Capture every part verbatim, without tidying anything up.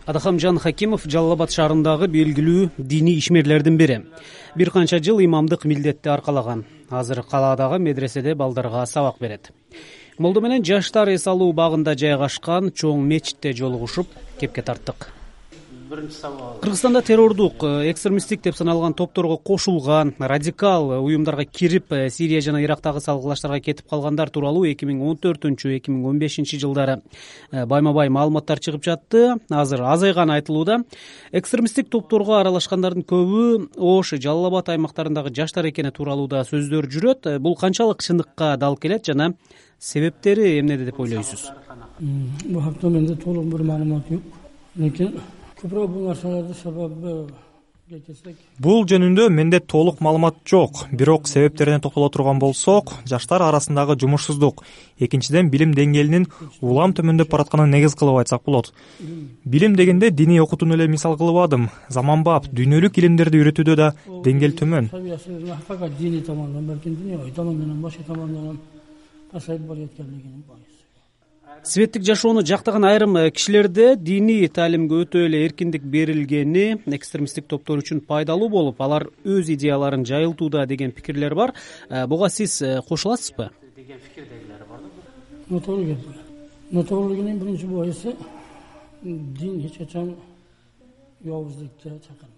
Адахамжан Хакимов Жалал Абад шаарындагы белгилүү диний ишмерлердин бири. Бир канча жыл имамдык милдетти аркалаган. Азыр калаадагы медреседе балдарга сабак берет. Молдо менен жаштар эс алуу багында жайгашкан чоң мечитте жолугушуп, кепке тарттык. Кыргызстанда террордук, экстремисттик деп саналган топторго кошулган, радикал уюмдарга кирип, Сирия жана Ирактагы салгылаштарга кетип калгандар тууралуу эки миң он төртүнчү эки миң он бешинчи жылдары байма-бай маалыматтар чыгып жатты. Азыр азайганы айтылууда. Экстремисттик топторго аралашкандардын көбү Ош, Жалал Абад аймактарындагы жаштар экени тууралууда сөздөр жүрөт. Бул канчалык чындыкка дал келет жана себептери эмнеде деп ойлойсуз? Бул хакта менде толук бир маалымат жок. Лекин көбүрөөк бул нерселердин себеби Бул жөнүндө менде толук маалымат жок. Бирок себептерине токтоло турган болсок, жаштар арасындагы жумушсуздук, экинчиден билим деңгээлинин улам төмөндөп баратканын негиз кылып айтсак болот. Билим дегенде диний окутууну эле мисал кылбадым. Заманбап дүйнөлүк илимдерди үйрөтүүдө да деңгээл төмөн. Диний тамондан, балким дүйнөлүк тамондан, башка тамондан пасайып баратканлыгын байыз. Светтик жашоону жактаган айрым кишилерде диний таалимге өтө эле эркиндик берилгени экстремисттик топтор үчүн пайдалуу болуп, алар өз идеяларын жайылтууда деген пикирлер бар. Буга сиз кошуласызбы? Деген пикирдегилер бар да. Нотолог эп. Нотологдун биринчи боюсу дин эч качан жоопсуздукка чакырбайт.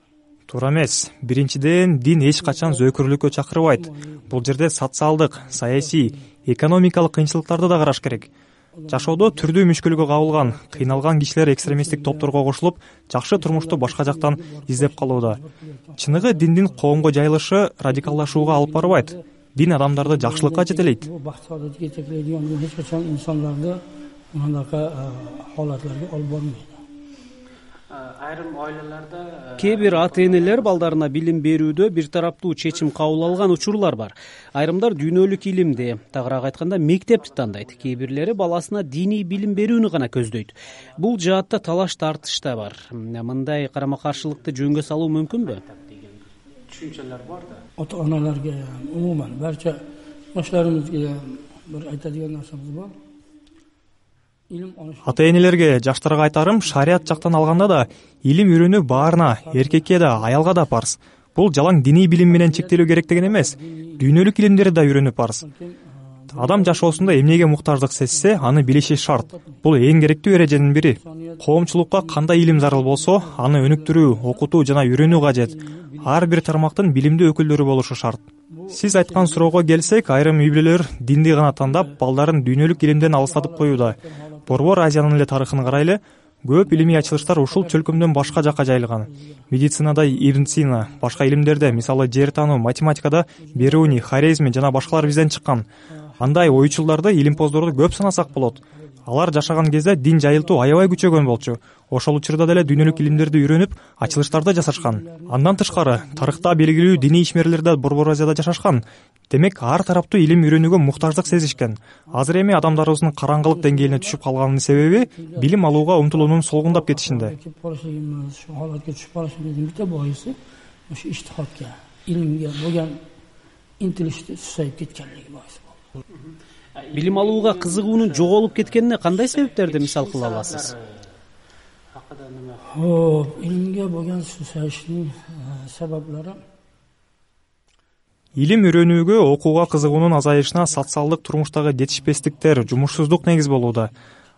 Туура эмес. Биринчиден, дин эч качан зөөкүрлүккө чакырбайт. Бул жерде социалдык, саясий, экономикалык кыйынчылыктарды да караш керек. Жашоодо түрдүү мүшкүлгө кабылган, кыйналган кишилер экстремисттик топторго кошулуп, жакшы турмушту башка жактан издеп калууда. Чыныгы диндин коомго жайылышы радикаллашууга алып барбайт. Дин адамдарды жакшылыкка жетелейт. Бул бакчалыкка жетектейдиган дин эч качан инсандарды мындай халатларга алып барбайт. Айрым ойлаларда кээ бир ата-энелер балдарына билим берүүдө бир тараптуу чечим кабыл алган учурлар бар. Айрымдар дүйнөлүк илимди, тагыраак айтканда мектепти тандайт. Кээ бирлери баласына диний билим берүүнү гана көздөйт. Бул жаатта талаш тартыш да бар. Мындай карама-каршылыкты жөнгө салуу мүмкүнбү? Түшүнчөлөр бар да. Ата-аналарга, умуман барча баштарыбызга бир айтадыган нерсебиз бар. Ата-энелерге, жаштарга айтарым, шарият жактан алганда да илим үйрөнүү баарына, эркекке да, аялга да парз. Бул жалаң диний билим менен чектелүү керек деген эмес. Дүйнөлүк илимдерди да үйрөнүү парз. Адам жашоосунда эмнеге муктаждык сезсе, аны билиши шарт. Бул эң керектүү эреженин бири. Коомчулукка кандай илим зарыл болсо, аны өнүктүрүү, окутуу жана үйрөнүү кажет. Ар бир тармактын билимдүү өкүлдөрү болушу шарт. Сиз айткан суроого келсек, айрым үй-бүлөлөр динди гана тандап, балдарын дүйнөлүк илимден алыстатып коюуда. Борбор Азиянын эле тарыхын карайлы, көп илимий ачылыштар ушул чөлкөмдөн башка жакка жайылган. Медицинада Ибн Сина, башка илимдерде, мисалы жер таануу, математикада Беруни, Хорезми жана башкалар бизден чыккан. Андай оюучуларды, илимпоздорду көп санасак болот. Алар жашаган кезде дин жайылтуу аябай күчөгөн болчу. Ошол учурда деле дүйнөлүк илимдерди үйрөнүп, ачылыштарды жасашкан. Андан тышкары, тарыхта белгилүү диний ишмерлер да Борбор Азияда жашашкан. Демек, ар тараптуу илим үйрөнүүгө муктаждык сезишкен. Азыр эми адамдарыбыздын караңгылык деңгээлине түшүп калганынын себеби билим алууга умтулуунун солгундап кетишинде. Ошо иштихадка, илимге болгон интилишти сусайып кеткенлиги боюнча. Билим алууга кызыгуунун жоголуп кеткенине кандай себептерди мисал кыла аласыз? О, илимге болгон сусайыштын себептери Илим үйрөнүүгө, окууга кызыгуунун азайышына социалдык турмуштагы жетишпестиктер, жумушсуздук негиз болууда.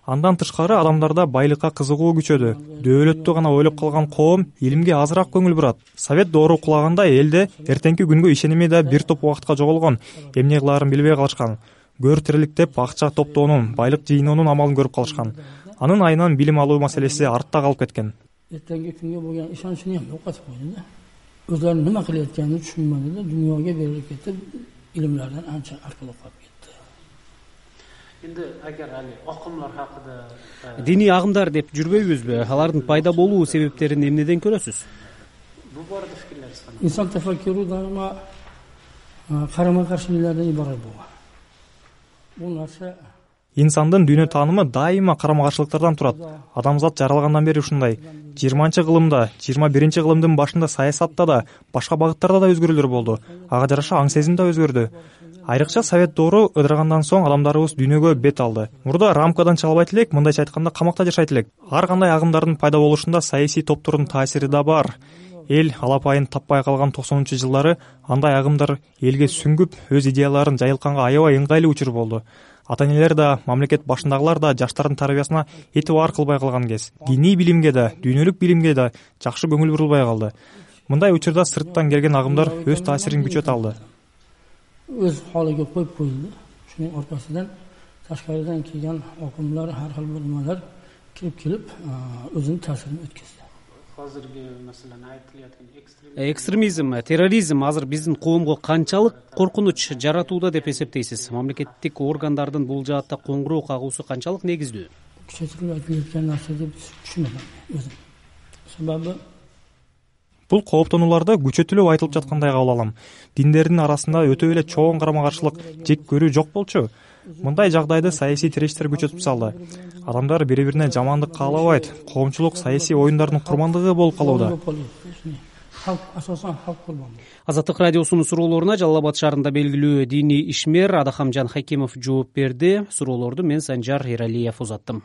Андан тышкары адамдарда байлыкка кызыгуу күчөдү. Дөөлөттү гана ойлоп калган коом илимге азыраак көңүл бурат. Совет доору кулаганда элде эртеңки күнгө ишеними да бир топ убакытка жоголгон, эмне кылаарын билбей калышкан. Гөр тириликтеп акча топтоонун, байлык жыйноонун амалын көрүп калышкан. Анын айынан билим алуу маселеси артта калып кеткен. Эртеңки күнгө болгон ишеничин эми окутуп койду да. Өзлөрүнүн неме кылып атканын түшүнмөдү да, дүйнөгө берилип кетип, илимлерден анча аркылуу калып кетти. Эndi agar али акымдар хакында диний агымдар деп жүрбөйбүзбү? Алардын пайда болуу себептерин эмнеден көрөсүз? Бул бородо фикирлериңиз кандай? Инсан тафаккуру дайыма карама-каршылыктардан ибарат болгон. Бул нерсе Инсандын дүйнө таанымы дайыма карама-каршылыктардан турат. Адамзат жаралгандан бери ушундай. жыйырманчы кылымда, жыйырма биринчи кылымдын башында саясатта да, башка багыттарда да өзгөрүүлөр болду. Ага жараша аң сезим да өзгөрдү. Айрыкча совет доору ыдырагандан соң адамдарыбыз дүйнөгө бет алды. Мурда рамкадан чыга албайт элек, мындайча айтканда камакта жашайт элек. Ар кандай агымдардын пайда болушунда саясий топтордун таасири да бар. Эл алапайын таппай калган токсонунчу жылдары андай агымдар элге сүңгүп, өз идеяларын жайылтканга аябай ыңгайлуу учур болду. Ата-энелер да, мамлекет башындагылар да жаштардын тарбиясына этибар кылбай калган кез. Диний билимге да, дүйнөлүк билимге да жакшы көңүл бурулбай калды. Мындай учурда сырттан келген агымдар өз таасирин күчөтө алды. Өз халыга коюп коюлду. Шунун ортосунан ташкарыдан келген окумдар, ар кыл бир немелер кирип келип, өзүнүн таасирин өткөздү. Азыркы маселен айтылып экстремизм, терроризм азыр биздин коомго канчалык коркунуч жаратууда деп эсептейсиз? Мамлекеттик органдардын бул жаатта коңгуроо кагуусу канчалык негиздүү? Күчөтүлүп айтылып нерсе деп түшүнөм өзүм. Себеби бул кооптонууларды күчөтүлүп айтылып жаткандай кабыл алам. Диндердин арасында өтө эле чоң карама-каршылык, жек көрүү жок болчу. Мындай жагдайды саясий тиречтер күчөтүп салды. Адамдар бири-бирине жамандык каалабайт, коомчулук саясий оюндардын курмандыгы болуп калууда. Азаттык радиосунун суроолоруна Жалал Абад шаарында белгилүү диний ишмер Адахамжан Хакимов жооп берди. Суроолорду мен Санжар Эралиев узаттым.